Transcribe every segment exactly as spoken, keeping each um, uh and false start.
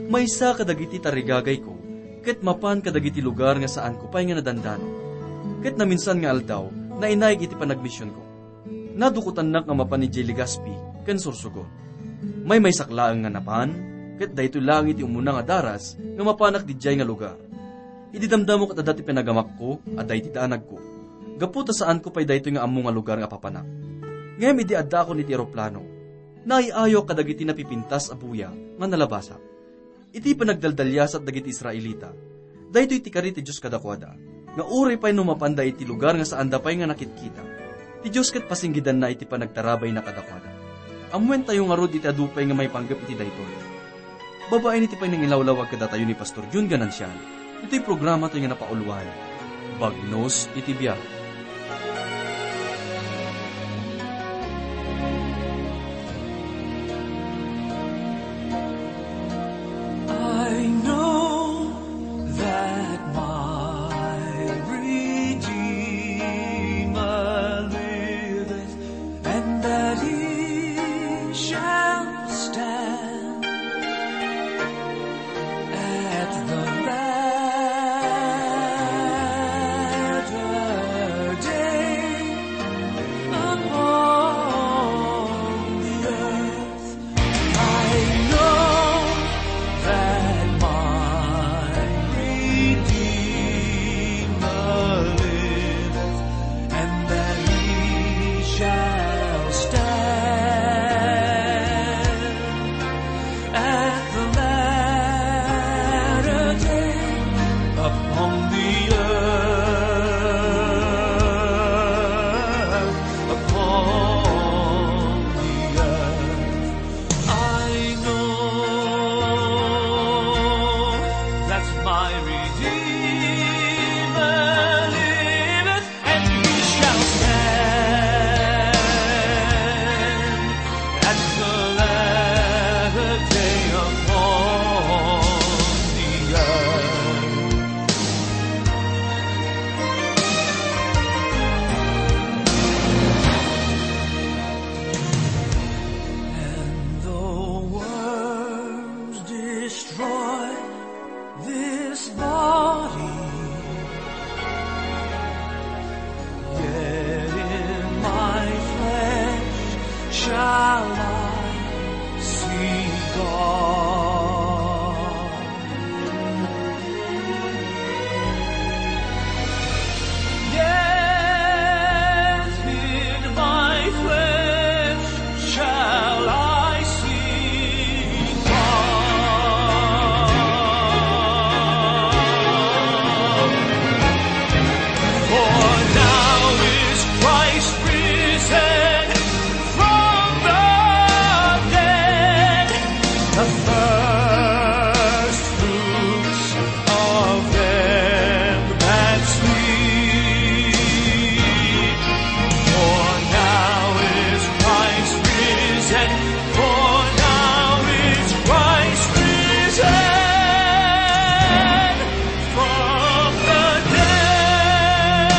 Maysa kadagiti tarigagayko ket mapan kadagiti lugar nga saanko pay nga nadandano. Ket naminsan nga aldaw, nainayeg iti panagmisionko. Nadukotannak nga mapan idiay Legazpi ken Sorsogon. Maymaysak laeng nga napan, ket daytoy laeng iti umuna nga daras nga mapanak didiay nga lugar. Idi damdamo ket adda ti pinagamakko, adda iti danagko. Gapu ta saanko pay daytoy nga ammo nga lugar nga papanak. Ngem idi addaakon iti eroplano, naay-ayok kadagiti napipintas a buya nga nalabasak. Iti panagdaldaliasat dagiti Israelita, daytoy ti kari ti Dios kadakuada, nga uray pay no mapanda iti lugar nga saanda pay nga nakitkita, ti Dios ket pasinggidanna iti panagtarabayna kadakuada. Ammoentayo ngarud iti adu pay nga maipanggep iti daytoy. Babaen iti panangilawlawag kadatayo ni Pastor Jun Ganancial, itoy programa tayo nga napauloan, Bagnos iti Biag. I know that my Redeemer liveth, and that he shall stand at the latter day upon the earth. I know that my Redeemer liveth, and that he shall stand at the latter day upon the earth, upon the earth. I know that my Redeemer liveth, and he shall stand at the latter day upon the earth. And though worms destroy this body, yet in my flesh shall I see God. Yet in my flesh shall I see God. For now is Christ risen from the dead, the first fruits of them that sleep. For now is Christ risen, for now is Christ risen from the dead.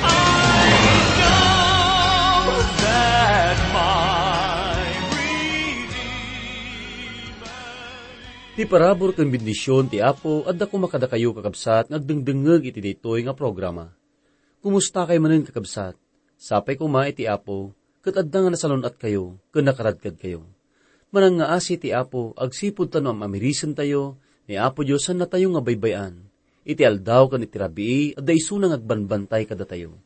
I know that my Redeemer. Ti parabur ken bendision ti Apo adda koma kadakayo, kakabsat, nga agdengdengngeg iti daytoy nga programa. Kumusta kayo manen, kakabsat? Sapay koma iti Apo, ket adda nga nasalun-atkayo ken nakaradkadkayo. Manangngaasi ti Apo agsipud ta no am-amirisentayo, ni Apo Dios sannatayo nga baybay-an. Iti aldaw ken iti rabii, adda isuna nga agbanbantay kadatayo.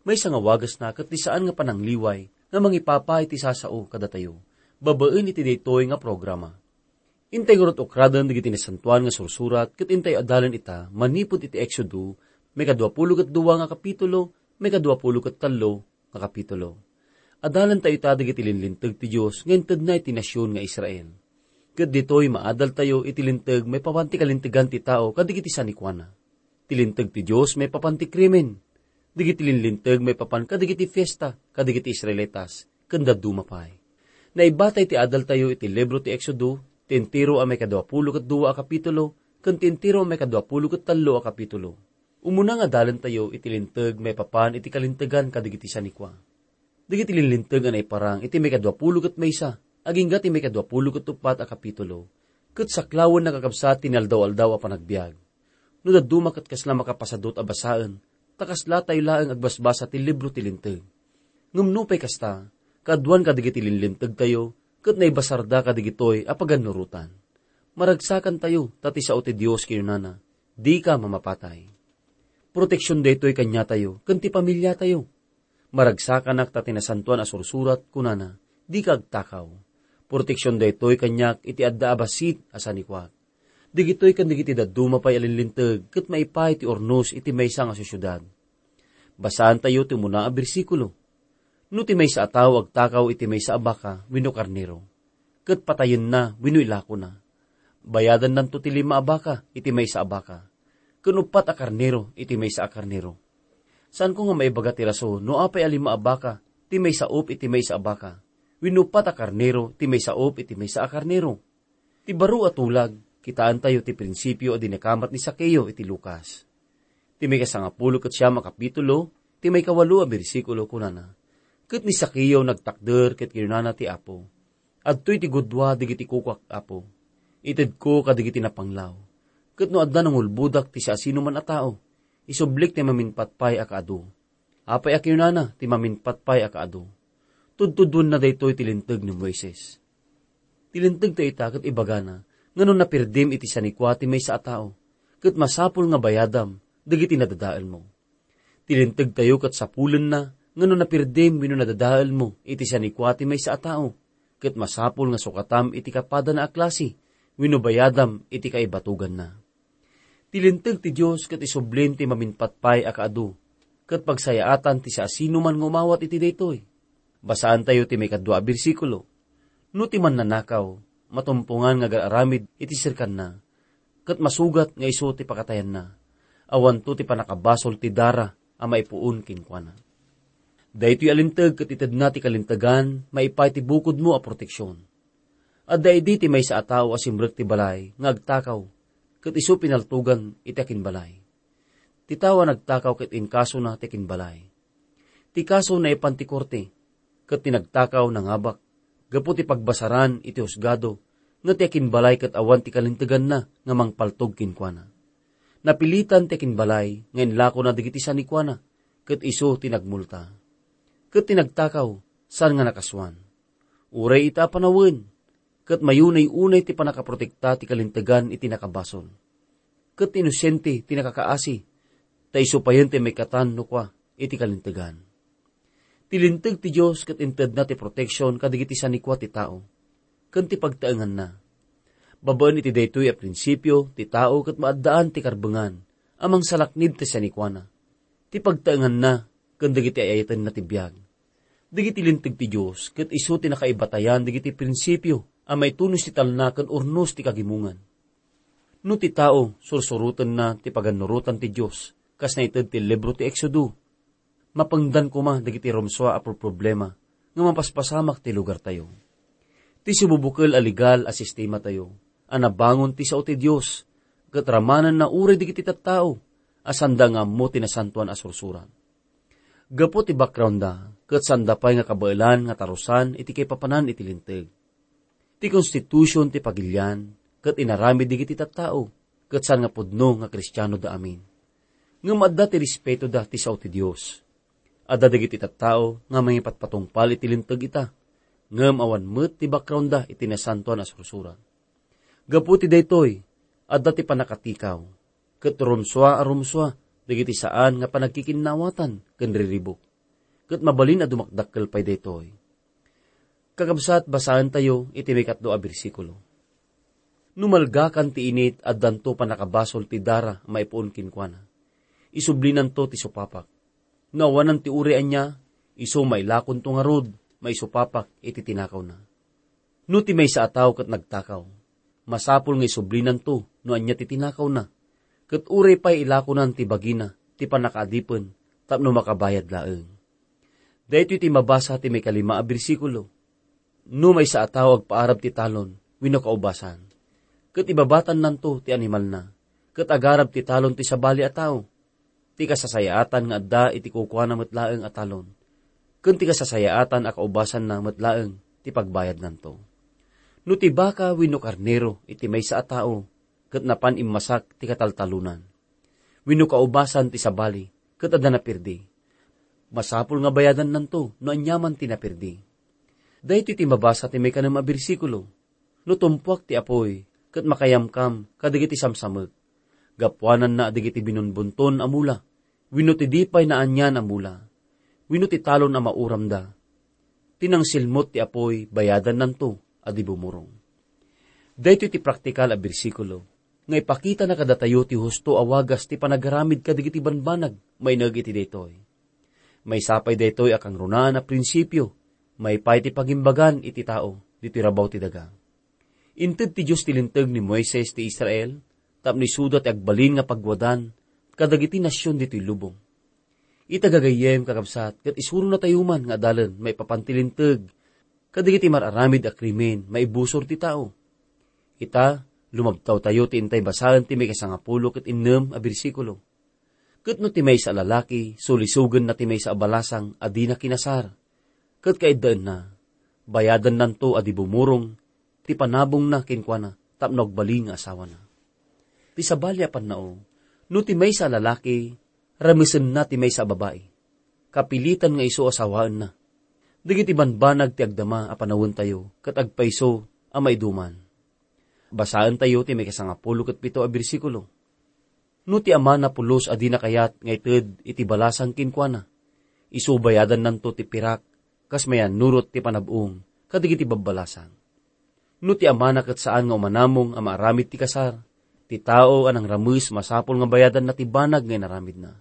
Maysa nga wagasna ket ti saan nga panangliway nga mangipapa iti sasao kadatayo babaen iti daytoy nga programa. Intay ngarud ukraden dagiti Nasantoan nga Sursurat ket intay adalen ita manipud iti Exodo, maikadua pulo ket dua nga kapitulo, maikadua pulo ket tallo nga kapitulo. Adalentayo ita dagiti linlinteg ti Dios nga intedna iti nasion nga Israel. Ket ditoy maadaltayo iti linteg maipapan ti kalintegan ti tao kadagiti sanikuana. Ti linteg ti Dios maipapan ti krimen. Dagiti linlinteg maipapan kadagiti fiesta kadagiti Israelitas ken dadduma pay. Naibatay ti adaltayo iti libro ti Exodo, ti entero a maikadua pulo ket dua a kapitulo, ken ti entero a maikadua pulo ket tallo a kapitulo. Umuna nga adalentayo iti Linteg maipapan iti kalintegan kadagiti sanikua. Dagiti linlinteg a naiparang iti maikadua pulo ket maysa, agingga ti maikadua pulo ket uppat a kapitulo, ket saklawenna, kakabsat, ti inaldaw-aldaw a panagbiag. No dadduma ket kasla makapasadut a basaen, ta kaslatayo laeng agbasbasa ti libro ti Linteg. Ngem nupay kasta, kaaduan kadagiti linlintegtayo, ket naibasarda kadigitoy a pagannurotan. Maragsakantayo, ta ti sao ti Dios kinunana, "Dika mamapatay." Proteksion daytoy kaniatayo ken ti pamiliatayo. Maragsakanak ta ti Nasantoan a Sursurat kunana, "Dika agtakaw." Proteksion daytoy kaniak iti adda a bassit a sanikuak. Dagitoy ken dagiti dadduma pay a linlinteg ket maipaay ti urnos iti maysa nga siudsiudad. Basaantayo ti umuna a bersikulo. No ti maysa a tao agtakaw iti maysa a baka wenno karnero, ket patayenna wenno ilakona, bayadannanto ti lima a baka iti maysa a baka, ken uppat a karnero iti maysa a karnero. Saanko nga maibaga ti rason no apay a lima a baka ti maisaup iti maysa a baka, wenno uppat a karnero ti maisaup iti maysa a karnero. Ti baro a tulag, kitaentayo ti prinsipio a dinakamat ni Zaqueo iti Lucas. Ti maikasangapulo ket siam a kapitulo, ti maikawalo a bersikulo, kunana, "Ket ni Zaqueo nagtakder ket kinunana ti Apo, 'Adtoy ti gudua dagiti kukuak, Apo. Itedko kadagiti napanglaw. Ket no adda nangulbodak ti siasinoman a tao, isublik ti maminpatpay a kaadu.'" Apay a kinunana ti maminpatpay a kaadu? Tudtuduenna daytoy ti Linteg ni Moises. Ti Linteg ta ita ket ibagana nga no napirdim iti sanikua ti maysa a tao, ket masapul nga bayadam dagiti nadadaelmo. Ti Lintegtayo ket sapulenna nga no napirdim wenno nadadaelmo iti sanikua ti maysa a tao, ket masapul nga sukatam iti kapadana a klase wenno bayadam iti kaibatuganna. Ti Linteg ti Dios ket isublin ti maminpatpay a kaadu, ket pagsayaatan ti siasinoman nga umawat iti daytoy. Basaantayo ti maikadua a bersikulo, "No ti mannanakaw, matumpongan nga agar-aramid iti serkanna, ket masugat nga isu ti pakatayanna, awanto ti pannakabasol ti dara a maipuon kenkuana." Daytoy a Linteg ket itedna ti kalintegan maipaay ti bukodmo a proteksion. Adda idi ti maysa a tao a simrek ti balay nga agtakaw, ket isu pinaltogan iti akinbalay. Ti tao a nagtakaw ket inkasona ti akinbalay. Ti kaso naipan ti korte, ket ti nagtakaw nangabak. Gapu ti pagbasaran iti husgado nga ti akinbalay ket awan ti kalinteganna nga mangpaltog kenkuana. Napilitan ti akinbalay nga inlakona dagiti sanikuana, ket isu ti nagmulta. Ket ti nagtakaw, saan nga nakasuan. Uray ita a panawen, ket mayunay-unay ti pannakaprotekta ti kalintegan iti nakabasol. Ket ti inosente ti nakakaasi, ta isu payen ti maikatan no kua iti kalintegan. Ti Linteg ti Dios ket intedna ti proteksion kadagiti sanikua ti tao, ken ti pagtaenganna. Babaen iti daytoy a prinsipio, ti tao ket maaddaan ti karbengan a mangsalaknib ti sanikuana. Ti pagtaenganna ken dagiti ay-ayatenna ti biag. Dagiti Linteg ti Dios ket isu ti nakaibatayan dagiti prinsipio a maitunos ti talna ken urnos ti kagimongan. No ti tao sursurotenna ti pagannurotan ti Dios, kas naited ti libro ti Exodo, mapengdan koma dagiti rumsua a problema nga mapaspasamak ti lugartayo. Ti sibubukel a legal a sistematayo a nabangon ti sao ti Dios, ket ramanenna uray dagiti tattao a sanda nga ammo ti Nasantoan a Sursurat. Gapu ti background-da, ket sanda pay nga kabaelan nga tarusan iti kaipapanan iti Linteg. Ti konstitusion ti pagilian, ket inaramid dagiti tattao, ket saan nga pudno nga Kristianoda amin. Ngem adda ti respetoda ti sao ti Dios. Adda dagiti tattao nga mangipatpatungpal iti Linteg ita, ngem awan met ti background-da iti Nasantoan a Sursurat. Gapu ti daytoy, adda ti pannakatikaw, ket rumsua a rumsua dagiti saan nga panagkikinnawatan ken riribuk, ket mabalin a dumakdakkel pay daytoy. Kakabsat, basaentayo iti maikatlo a bersikulo. No malgakan ti init, addanto pannakabasol ti dara a maipuon kenkuana. Isublinanto ti supapak. No awanan ti uray ania, isu mailakonto ngarud, maisupapak iti tinakawna. No ti maysa a tao ket nagtakaw, masapul nga isublinanto no ania ti tinakawna, ket uray pay ilakonan ti bagina ti pannakaadipen tapno makabayad laeng. Daytoy ti mabasa ti maikalima a bersikulo. No maysa a tao agpaarab ti talon wenno kaubasan, ket ibabatannanto ti animalna, ket agarab ti talon ti sabali a tao. Ti kasasayaatan nga adda iti kukuana met laeng a talon, ken ti kasasayaatan a kaubasanna met laeng ti pagbayadnanto. No ti baka wenno karnero iti maysa a tao, ket napan immasak ti kataltalonan, wenno kaubasan ti sabali, ket adda napirdi, masapul nga bayadannanto no aniaman ti napirdi. Daytoy ti mabasa ti maikanem a bersikulo. No tumpuak ti apuy, ket makayamkam kadagiti samsamek, gapuananna dagiti binunbunton a mula, wenno ti di pay naanian a mula, wenno ti talon a mauramda, ti nangsilmut ti apuy, bayadannanto a di bumurong. Daytoy ti praktikal a bersikulo nga ipakitana kadatayo ti husto a wagas ti panagaramid kadagiti banbanag. Maineg iti daytoy, maysa pay daytoy a kangrunaan a prinsipio maipaay ti pagimbagan iti tao ditoy rabaw ti daga. Inted ti Dios ti linteg ni Moises ti Israel tapno isuda ti agbalin nga pagwadan kadagiti nasion ditoy lubong. Ita gagayyem, kakabsat, ket isurona tayo man nga adalen maipapan ti linteg kadagiti mar-aramid a krimen maibusor ti tao. Ita, lumabtaw tayo ti intay basaen ti maikasangapulo ket innem a bersikulo. Ket no ti maysa a lalaki, sulisogenna ti maysa a balasang a dina kinasar, ket kaiddaenna, bayadannanto a di bumurong ti panabongna kenkuana tapno agbalin nga asawana. Ti sabali a pannao, no ti maysa a lalaki, ramesenna ti maysa a babai, kapilitan nga isu a sawaenna. Dagiti banbanag ti agdama a panawentayo ket agpayso a maiduman. Basaentayo ti maikasangapulo ket pito a bersikulo. No ti amana pulos a dina kayat nga ited iti balasang kenkuana, isu bayadannanto ti pirak kas mayannurot ti panab-ong kadagiti babbalasang. No ti amana ket saan nga umanamong a maaramid ti kasar, ti tao a nangrames masapul nga bayadanna ti banag nga inaramidna.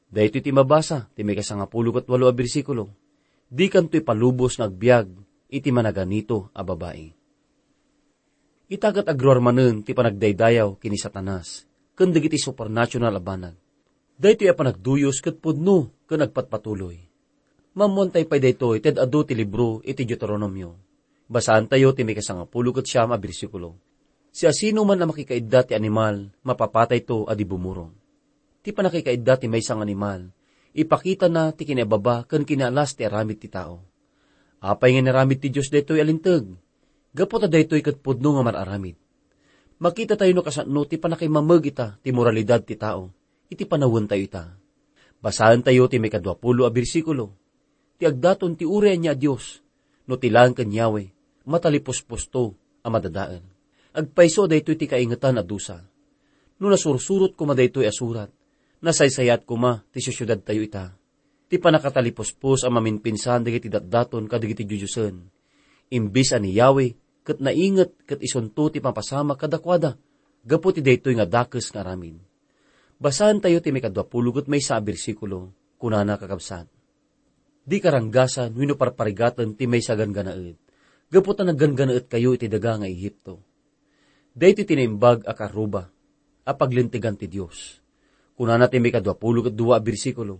Daytoy ti mabasa ti maikasangapulo ket walo a bersikulo. Dikanto ipalubos nga agbiag iti managanito a babai. Ita ket agruar manen ti panagdaydayaw ken ni Satanas ken dagiti supernatural a banag. Daytoy a panagduyos ket pudno ken agpatpatuloy. Maammoantayo pay daytoy ti ad-adu ti libro iti Deuteronomio. Basaantayo ti maikasangapulo ket siam a bersikulo. Siasinoman a makikaidda ti animal, mapapatayto a di bumurong. Ti pannakikaidda ti maysa nga animal, ipakitana ti kinaibaba ken kinaalas ti aramid ti tao. Apay nga inaramid ti Dios daytoy a linteg? Gapu ta daytoy ket pudno nga mar-aramid. Makitatayo no kasano ti pannakaimmameg ita ti moralidad ti tao iti panawentayo ita. Basaentayo ti maikadua pulo a bersikulo. Ti agdaton ti uray ania a dios, no ti laeng ken Yahweh, matalipuspusto a madadael. Agpayso a daytoy ti kaingetan a dusa. No nasursurot koma daytoy a surat, nasaysayaat koma ti siudsiudadtayo ita. Ti pannakatalipuspos a maminpinsan dagiti datdaton kadagiti diodiosen. Imbes a ni Yahweh ket nainget ket isunto ti mapasamak kadakuada gapu ti daytoy nga dakes nga aramid. Basaentayo ti maikadua pulo ket maysa a bersikulo, kunana, kakabsat, "Di karanggasan wenno parparigaten ti maysa a ganggannaet, gapu ta nagganggannaetkayo iti daga nga Egipto." Daytoy ti naimbag a karuba a paglintegan ti Dios. Kunana ti maikadua pulo ket dua a bersikulo,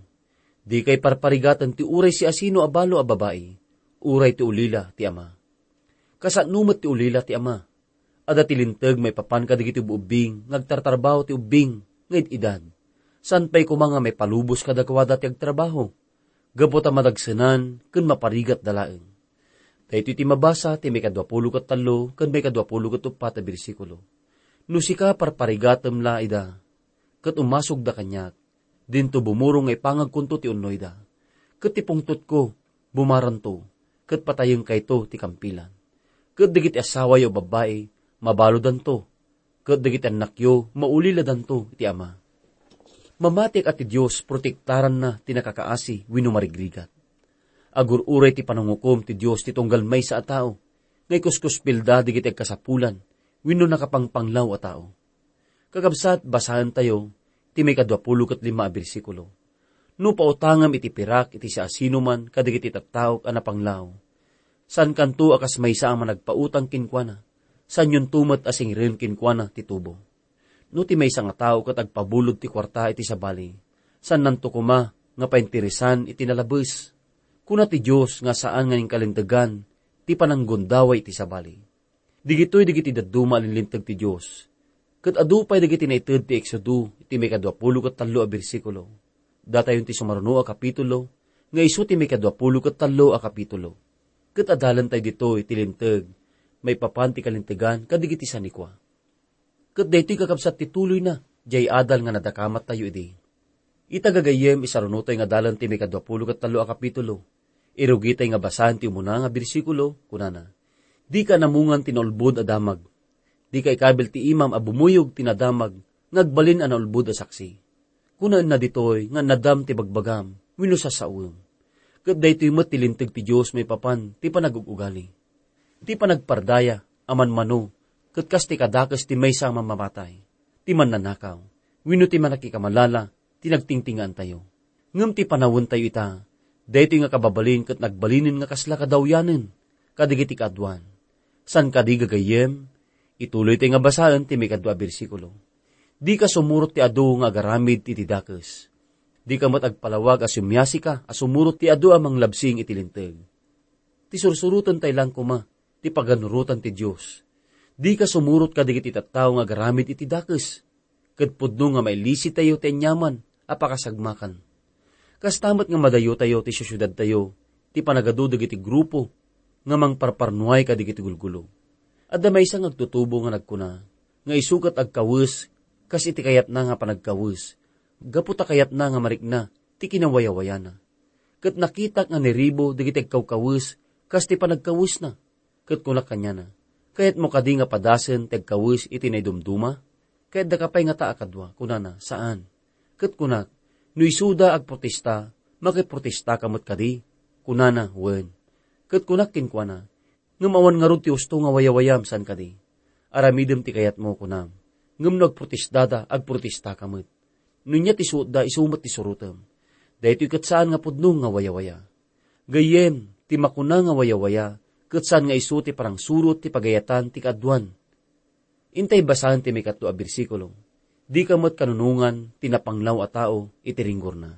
"Dikay parparigaten ti uray siasino a balo a babai, uray ti ulila ti ama." Kasano met ti ulila ti ama. Adda ti linteg maipapan kadagiti ubbing nga agtartarbaho ti ubbing nga id-idad. Saan pay koma nga maipalubos kadakuada ti agtrabaho, gapu ta madagsenan ken maparigatda laeng. Daytoy ti mabasa ti maikadua pulo ket tallo ken maikadua pulo ket uppat a bersikulo. No sika, parparigatem la ida, ket umasogda kaniak, dinto bumurong nga ipangagkonto ti unnoyda. Ket ti pungtotko, bumaranto, ket patayengkayto ti kampilan. Ket dagiti asawayo a babbai, mabaludanto, ket dagiti annakyo, mauliladanto iti ama. Mamatiek a ti Dios protektaranna ti nakakaasi wenno marigrigat. Agur-uray ti panangukom ti Dios ti tunggal maysa a tao nga ikuskuspilda dagiti agkasapulan wenno nakapangpanglaw a tao. Kakabsat, basaentayo ti maikadua pulo ket lima a bersikulo. No pautangem iti pirak iti siasinoman kadagiti tattaok a napanglaw, saankanto a kas maysa a managpautang kenkuana, saanyonto met a singiren kenkuana ti tubo. No ti maysa nga tao ket agpabulod ti kuarta iti sabali, saannanto koma nga painteresan iti nalabes. Kuna ti Dios nga saan nga inkalintegan ti pananggundaway iti sabali. Digitoy dagiti dadduma a linlinteg ti Dios. Ket adu pay dagiti naited ti Exodo iti maikadua pulo ket tallo a bersikulo. Datayon ti sumaruno a kapitulo, nga isu ti maikadua pulo ket tallo a kapitulo. Ket adalentayo ditoy ti linteg, maipapan ti kalintegan kadagiti sanikua. Ket daytoy kakabsat ti tuloyna, diay adal nga nadakamattayo idi. Ita gagayyem, isarunotayo nga adalen ti maikadua pulo ket tallo a kapitulo. Irugitay nga basaen ti umuna nga bersikulo, kunana, "Dika namungan ti naulbod a damag. Dika ikabil ti imam a bumuyog ti nadamag nga agbalin a naulbod a saksi. Kunaenna ditoy nga nadam ti bagbagam wenno sasawem. Ket daytoy met ti linteg ti Dios maipapan ti panagug-ugali. Ti panagpardaya a manmano ket kas ti kadakes ti maysa a mamamatay, ti mannanakaw, wenno ti mannakikamalala ti nagtingtingaantayo. Ngem ti panawentayo ita, daytoy nga kababalin ket nagbalinen nga kasla kadawyanen kadagiti kaaduan." Saan kadi gagayyem, ituloytayo nga basaen ti maikadua a bersikulo. "Dika sumurot ti adu nga agaramid iti dakes. Dika met agpalawag a sumiasika a sumurot ti adu a manglabsing iti linteg." Ti sursurotentayo lang koma ti paganurotan ti Dios. Dika sumurot kadagiti tattao nga agaramid iti dakes, ket pudno nga mailisitayo ti aniaman a pakasagmakan. Kasta met nga madayotayo ti siudadtayo ti panagadu dagiti grupo nga mangparparnuay kadagiti gulgulo. Adda maysa nga agtutubo nga nagkuna nga isu ket agkawes kas iti kayatna nga panagkawes, gapu ta kayatna nga marikna ti kinawayawayana. Ket nakitak nga niribo dagiti agkawkawes kas ti panagkawesna. Ket kunak kaniana, "Kayatmo kadi nga padasen ti agkawes iti naidumduma? Kayatdaka pay ngata a kadua?" Kunana, "Saan." Ket kunak, "No isuda agprotesta, makiprotestaka met kadi?" Kunana, "Wen." Ket kunak kenkuana, "Ngem awan ngarud ti husto nga wayawayam, saan kadi? Aramidem ti kayatmo," kunam. "Ngem no agprotestada, agprotestaka met. No ania ti suotda, isu met ti surotem. Daytoy ket saan nga pudno nga wayawaya." Gayyem, ti makuna nga wayawaya, ket saan nga isu ti panangsurot ti pagayatan ti kaaduan. Intay basaen ti maikatlo a bersikulo. Dika met kanunongan ti napanglaw a tao iti ringgorna.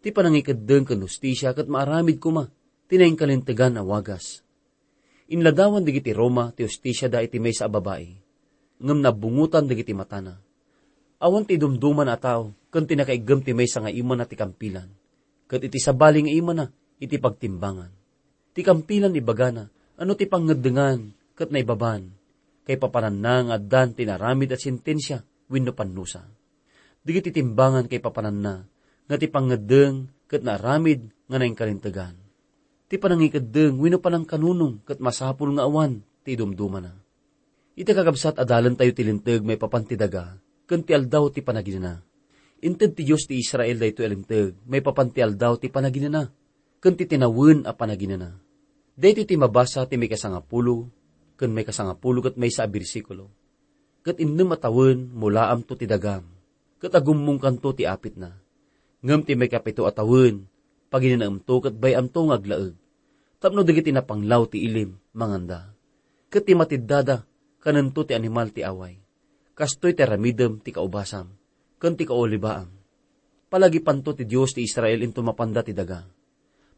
Ti panangikeddeng ken hustisia ket maaramid koma ti nainkalintegan a wagas. Inladawan dagiti Roma ti hustisiada iti maysa a babai, ngem nabbungotan dagiti matana. Awan ti idumdumana a tao ken ti nakaiggem ti maysa nga imana ti kampilan, ket iti sabali nga imana iti pagtimbangan. Ti kampilan ibagana a no ti pangngeddengan ket naibaban, kaipapananna nga addan ti inaramid a sentensia wenno pannusa. Dagiti timbangan kaipapananna nga ti pangngeddeng ket naaramid nga nainkalintegan. Ti panangikeddeng wenno panangkanunong ket masapul nga awan ti idumdumana. Iti kakabsat, adalentayo ti Linteg maipapan ti daga ken ti Aldaw ti Panaginana. Inted ti Dios ti Israel daytoy a Linteg maipapan ti Aldaw ti Panaginana ken ti tinawen a panaginana. Daytoy ti mabasa ti maikasangapulo ken maikasangapulo ket maysa a bersikulo. Ket innem a tawen, mulaamto ti dagam, ket agummongkanto ti apitna. Ngem ti maikapito a tawen, paginanaemto ket bay-amto nga aglaeg, tapno dagiti napanglaw ti ilim manganda, ket ti matiddada kanento ti animal ti away. Kastoy ti aramidem ti kaubasam ken ti kaulibaam. Palagipanto ti Dios ti Israel inton mapanda ti daga.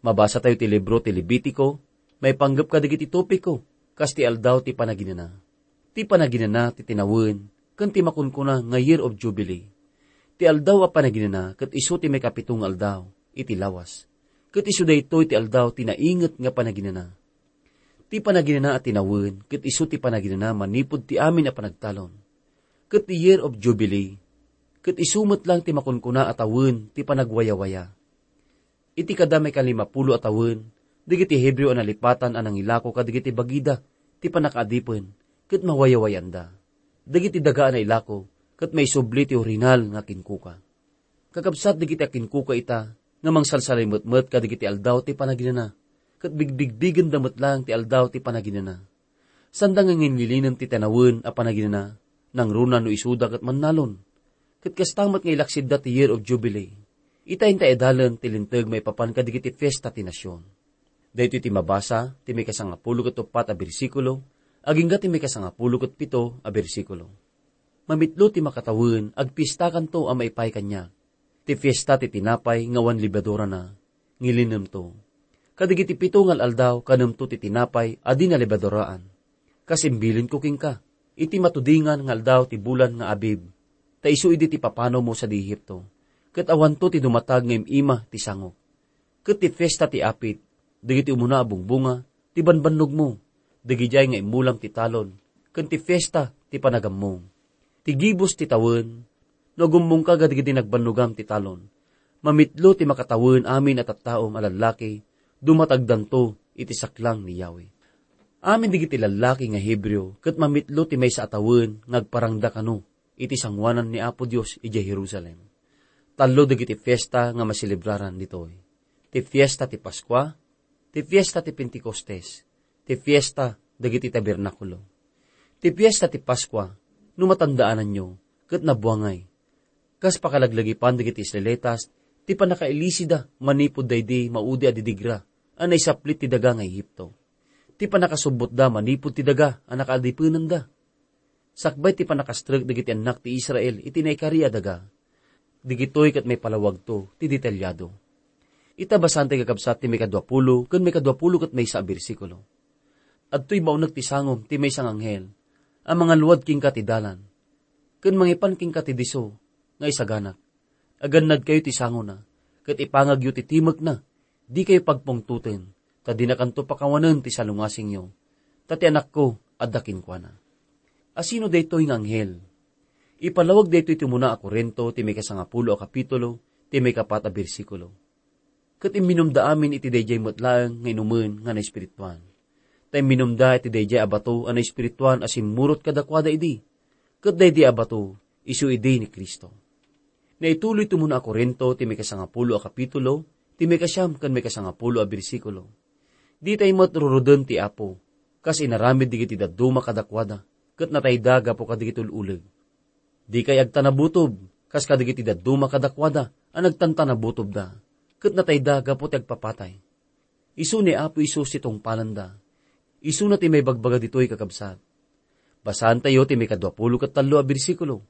Mabasatayo ti libro ti Levitico, maipanggep kadagiti topiko, kas ti Aldaw ti Panaginana. Ti Panaginana ti tinawen ken ti makunkuna nga Year of Jubilee. Ti Aldaw a Panaginana ket isu ti maikapito nga aldaw iti lawas, ket isu daytoy ti aldaw ti nainget nga panaginana. Ti Panaginana a tinawen ket isu ti panaginana manipud ti amin a panagtalon, ket ti Year of Jubilee ket isu met lang ti makunkuna a tawen ti panagwayawaya. Iti kada maikalimapulo a tawen, dagiti Hebreo a nalipatan a nangilako kadagiti bagida ti pannakaadipen ket mawayawayanda. Dagiti daga a nailako ket maisubli ti orinal nga kinkuka. Kakabsat dagiti akinkuka ita nga mangsalsalimetmet kadagiti Aldaw ti Panaginana, ket bigbigbigenda met laeng ti Aldaw ti Panaginana. Sanda nga ngilngilinen ti tinawen a panaginana, nangruna no isuda ket mannalon. Ket kasta met nga ilaksidda ti Year of Jubilee. Ita inta idalen ti Linteg maipapan kadagiti fiesta ti nasion. Daytoy ti mabasa ti maikasangapulo ket uppat a bersikulo agingga ti maikasangapulo ket pito a bersikulo. Mamitlo ti makatawen, agpiestakanto a maipaay kaniak. Ti fiesta ti tinapay nga awan lebadurana, ngilinemto. Kadagiti pito nga al-aldaw, kanemto ti tinapay a di nalebaduraan. Kas imbilinko kenka, iti matudingan nga aldaw ti bulan nga Abib, ta isu idi ti papanawmo sadi Egipto, ket awanto ti dumatag nga im-ima ti sangok. Ket ti fiesta ti apit, dagiti umuna a bungbunga, ti banbannogmo, dagidiay nga immulam ti talon, ken ti fiesta ti panagammong. Ti gibus ti tawen, no agummongka kadagiti nagbannogam ti talon, mamitlo ti makatawen amin a tattaom a lallaki, dumatagdanto iti saklang ni Yahweh. Amin dagiti lallaki nga Hebreo ket mamitlo ti maysa a tawen nga agparangda kano iti sangoanan ni Apo Dios idiay Jerusalem. Tallo dagiti fiesta nga maselebraran ditoy: ti fiesta ti Paskua, ti fiesta ti Pentecostes, ti fiesta dagiti tabernakulo. Ti fiesta ti Paskua, no matandaananyo, ket nabuangay. Kas pakalaglagipan dagiti Israelitas, ti pannakailisida manipud daydi maudi a didigra a naisaplit ti daga nga Egipto. Ti pannakasubbotda manipud ti daga a nakaadipenanda. Sakbay ti pannakastrek dagiti annak ti Israel iti naikari a daga. Digitoy ket maipalawagto ti detaliado. Ita, basaen ti kakabsat ti maikadua pulo ken maikadua pulo ket maysa a bersikulo. Adtoy baunek ti sangom ti maysa nga anghel a mangalluad kenka ti dalan, ken mangipan kenka ti disso nga isaganak. Agannadkayo ti sangona, ket ipangagyo ti timekna. Dikayo pagpungtoten, ta dinakanto pakawanen ti salungasingyo, ta ti anakko adda kenkuana. Asino daytoy nga anghel? Ipalawag daytoy ti umuna a Corinto, ti maikasangapulo a kapitulo, ti maikapat a bersikulo. Ket imminumda amin iti daydiay met laeng nga inumen nga naespirituan. Ta imminumda iti daydiay a bato a naespirituan a simmurot kadakuada idi. Ket daydi a bato, isu idi ni Cristo. Naituloy ti umuna a Corinto, ti maikasangapulo a kapitulo, ti maikasiam ken maikasangapulo a bersikulo. Ditay met ruruden ti Apo, kas inaramid dagiti dadduma kadakuada, ket natayda gapu kadagiti ul-uleg. Dikay agtanabutob, kas kadagiti dadduma kadakuada a nagtantanabutobda, ket natayda gapu ti agpapatay. Isu ni Apo Jesus ti tungpalanda. Isuna ti maibagbaga ditoy, kakabsat. Basaantayo ti maikadua pulo ket tallo a bersikulo.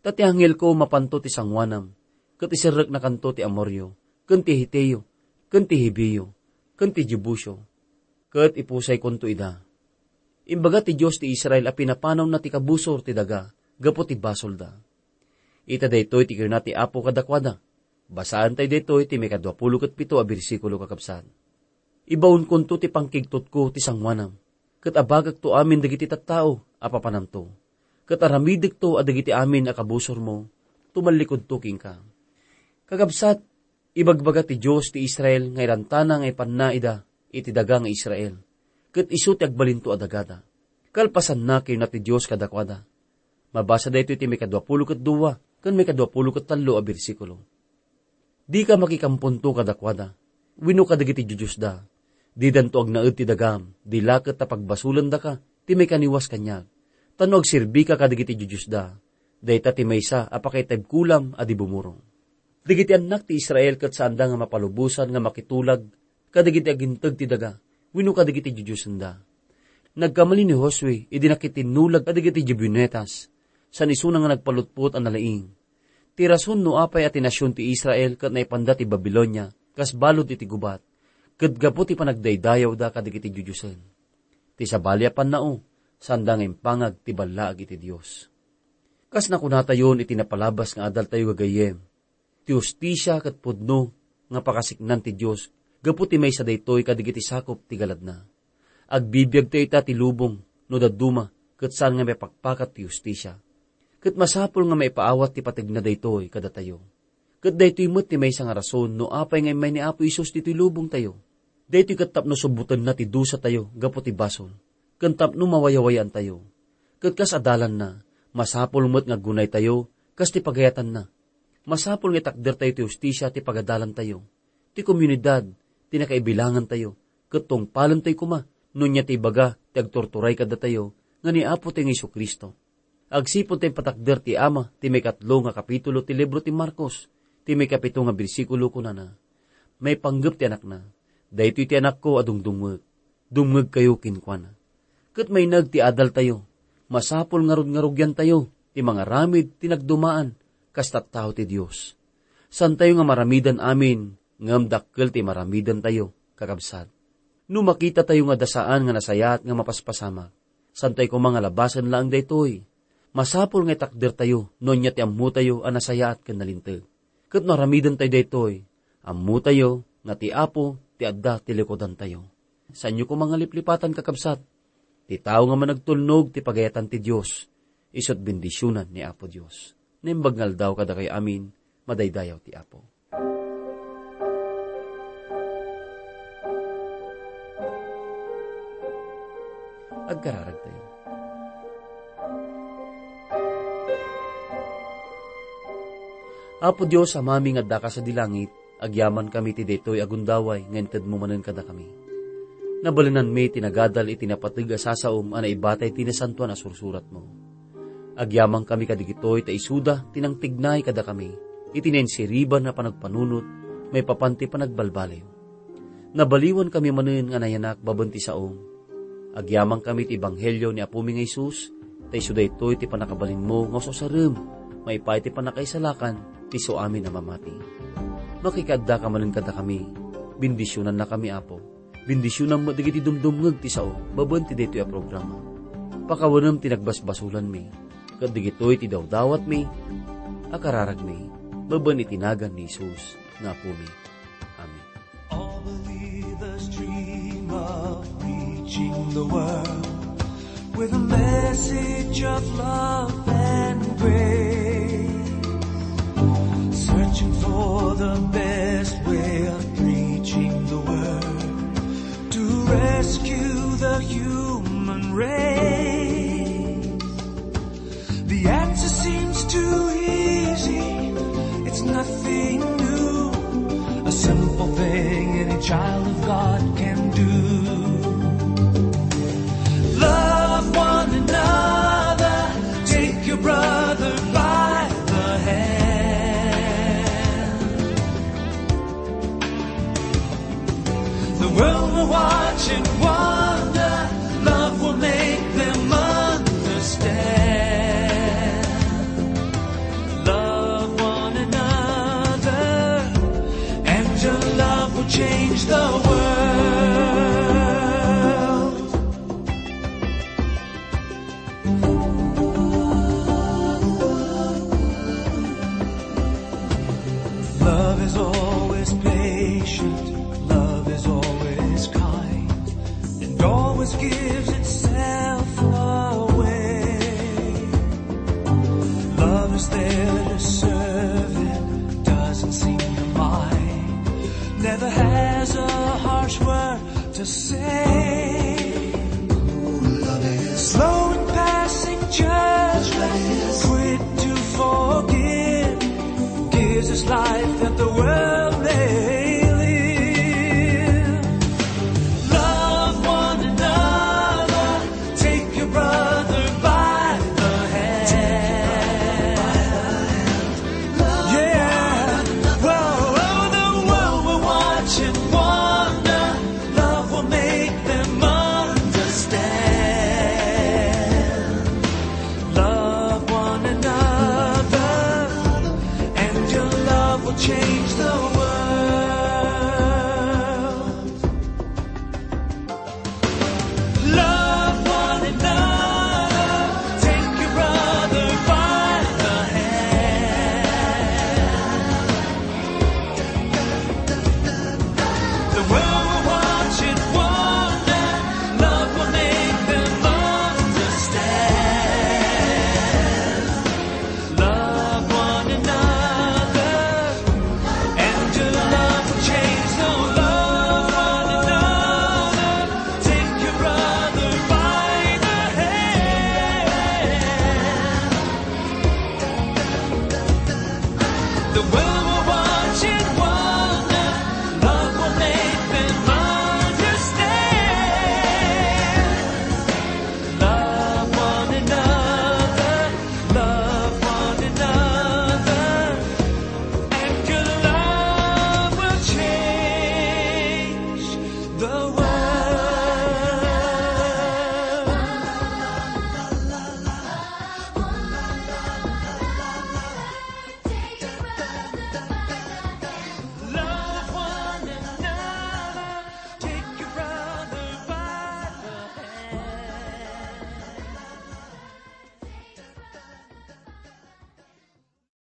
Ta ti angelko mapanto ti sangoanam, ket iserreknakanto ti Amoryo, ken ti Heteo, ken ti Hibeo, ken ti Jebuseo, ket ipusaykonto ida. Imbaga ti Dios ti Israel a pinapanawna ti kabusor ti daga gapu ti basolda. Ita daytoy ti kinuna ti Apo kadakuada. Basaantayo daytoy ti maikadua pulo ket pito a bersikulo, kakabsat. Ibaonkonto ti pangkigtotko ti sangoanam, ket abagekto amin dagiti tattao a papanamto, ket aramidekto a dagiti amin a kabusormo, tumallikudto kenka. Kakabsat, ibagbaga ti Dios ti Israel nga irantana nga ipanna ida iti daga nga Israel, ket isu ti agbalinto a dagada. Kalpasanna, kinuna ti Dios kadakuada. Mabasa daytoy ti maikadua pulo ket dua ken maikadua pulo ket tallo a bersikulo. Dika makikamponto kadakuada, wenno kadagiti diosdiosda. Didanto agnaed ti dagam, di la ket ta pagbasolendaka ti maikaniwas kaniak. Ta no agserbika kadagiti diosdiosda, dayta ti maysa a pakaitebkulam a di bumurong. Dagiti annak ti Israel ket saanda nga mapalubosan nga makitulag kadagiti aginteg ti daga wenno kadagiti diodiosenda. Nagkamali ni Josue idi nakitinnulag kadagiti Gibeonitas, san isuna nga nagpalutpot a nalaing. Ti rason no apay a ti nasion ti Israel ket naipanda ti Babilonia kas balud iti gubat, ket gapu ti panagdaydayawda kadagiti diodiosen. Ti sabali a pannao, saanda nga impangag ti ballaag iti Dios. Kas nakunatayon iti napalabas nga adaltayo gagayyem, ti hustisia ket pudno nga pakasiknan ti Dios gapu ti maysa daytoy kadagiti sakop ti galadna. Agbibiagtayo ita ti lubong no dadduma ket saan nga maipakpakat ti hustisia. Ket masapul nga maipaawat ti pategna daytoy kadatayo. Ket daytoy met ti maysa nga rason no apay nga immay ni Apo Jesus ditoy lubongtayo. Daytoy ket tapno subbotenna ti dusatayo gapu ti basol, ken tapno mawayawayaantayo. Ket kas adalanna, masapul met nga aggunaytayo kas ti pagayatanna. Masapul nga itakdertayo ti hustisia ti pagadalantayo, ti komunidad ti nakaibilangantayo, ket tungpalentayo koma no ania ti ibaga ti agturturay kadatayo nga ni Apotayo nga Jesu-Cristo. Agsipud ta impatakder ti ama ti maikatlo nga kapitulo ti libro ti Marcos, ti maikapito nga bersikulo, kunana, "Maipanggep ti anakna, 'Daytoy ti anakko a dungdungngek, dumngegkayo kenkuana.'" Ket maineg ti adaltayo, masapul nga rugngarugiantayo ti mangaramid ti nagdumaan kas tattao ti Dios. Santayo nga maramidan amin, ngem dakkel ti maramidantayo, kakabsat. No makitatayo nga adda saan nga nasayaat nga mapaspasamak, Saantayo koma nga labasen laeng daytoy. Masapul nga itakdertayo no ania ti ammotayo a nasayaat ken nalinteg. Ket no aramidentayo daytoy, ammotayo nga ti Apo ti adda ti likudantayo. Saanyo koma nga liplipatan, kakabsat. Ti tao nga managtulnog ti pagayatan ti Dios, isu't bendisionan ni Apo Dios. Naimbag nga aldaw kadakayo amin, madaydayaw ti Apo. Agkararagtayo. Apo Dios, Amami nga addaka sadi langit, agyamankami ti daytoy a gundaway nga intedmo manen kadakami. Nabalinanmi ti nagadal iti napateg a sasaom a naibatay ti nasantoan a sursuratmo. Agyamankami kadagitoy ta isuda ti nangtignay kadakami iti nainsiriban a panagpanunot maipapan ti panagbalbaliw. Nabaliwankami manen nga nayanak babaen ti saom. Agyamankami ti ebanghelio ni Apomi nga Jesus, ta isu daytoy ti pannakabalinmo nga usurem maipapan ti pannakaisalakan ti isuamin a mamati. Makikaaddaka manen kadakami, bendisionannakami, Apo. Bendisionam met dagiti dumdumngeg ti sao babaen ti daytoy a programa. Pakawanem ti nagbasbasolanmi, ket dagitoy ti dawdawatmi a kararagmi, babaen iti nagan ni Jesus nga Apomi. Amen. All believers dream of reaching the world with a message of love and grace. Searching for the best way of preaching the word to rescue the human race. The answer seems too easy, it's nothing new. A simple thing any child of God can do. Love one another, take your brother by the hand. The world will watch and wonder, love will make them understand. Love one another, and your love will change the world. Love is always patient, love is always kind, and always gives itself away. Love is there to serve and doesn't seem to mind, never has a harsh word to say. Slow in passing judgment, quick to forgive, gives us life that the world may live. Love one another, take your brother by the hand. Yeah, whoa, oh, the world will watch and wonder. Love will make them understand. Love one another, and your love will change the world. Love one another, take your brother by the hand. The world will watch and wonder. Love will make them understand. Love one another, and your love will change the world. One another, take your brother by the hand. The world